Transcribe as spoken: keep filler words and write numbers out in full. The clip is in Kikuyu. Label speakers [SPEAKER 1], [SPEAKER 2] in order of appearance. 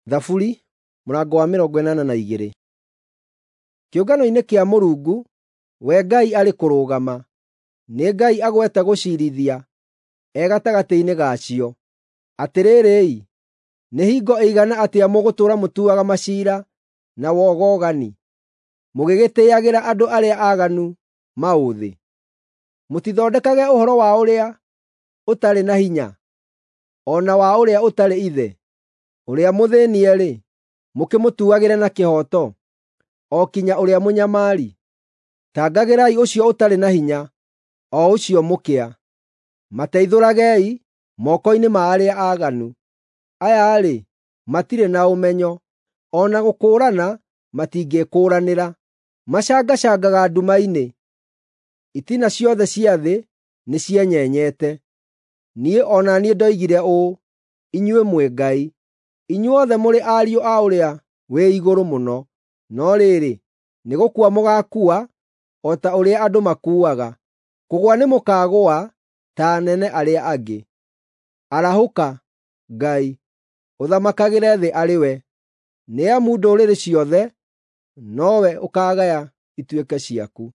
[SPEAKER 1] Thaburi mũrango wa mĩrongo ĩnana na igĩrĩ. Kĩũngano-inĩ kĩa Mũrungu, we Ngai arĩ kũrũgama, nĩ Ngai agwete gũciirithia e gatagatĩ-inĩ gacio. Atĩrĩrĩ-i, nĩ hingo ĩigana atĩa mũgũtũũra mũtuaga maciira na wogogani, mũgĩgĩtĩĩagĩra andũ arĩa aaganu maũthĩ? Mũtithondekage ũhoro wa ũrĩa ũtarĩ na hinya, o na wa ũrĩa ũtarĩ ithe; ũrĩa mũthĩnie-rĩ, mũkĩmũtuagĩre na kĩhooto, o kinya ũrĩa mũnyamari. Tangagĩrai ũcio ũtarĩ na hinya, o ũcio mũkĩa. Mateithũragei moko-inĩ ma arĩa aaganu. Aya-rĩ, matirĩ na ũmenyo, o na gũkũũrana matingĩĩkũũranĩra. Macangacangaga nduma-inĩ; itina ciothe cia thĩ nĩcienyenyete. Niĩ o na niĩ ndoigire ũũ, “Inyuĩ mwĩ ngai; inyuothe mũrĩ ariũ a Ũrĩa-wĩ-Igũrũ-Mũno.” No rĩrĩ, nĩ gũkua mũgaakua o ta ũrĩa andũ makuaga; kũgũa nĩmũkagũa ta anene arĩa angĩ. Arahũka, Ngai, ũthamakagĩre thĩ arĩ we, nĩ amu ndũrĩrĩ ciothe nowe ũkaagaya ituĩke ciaku.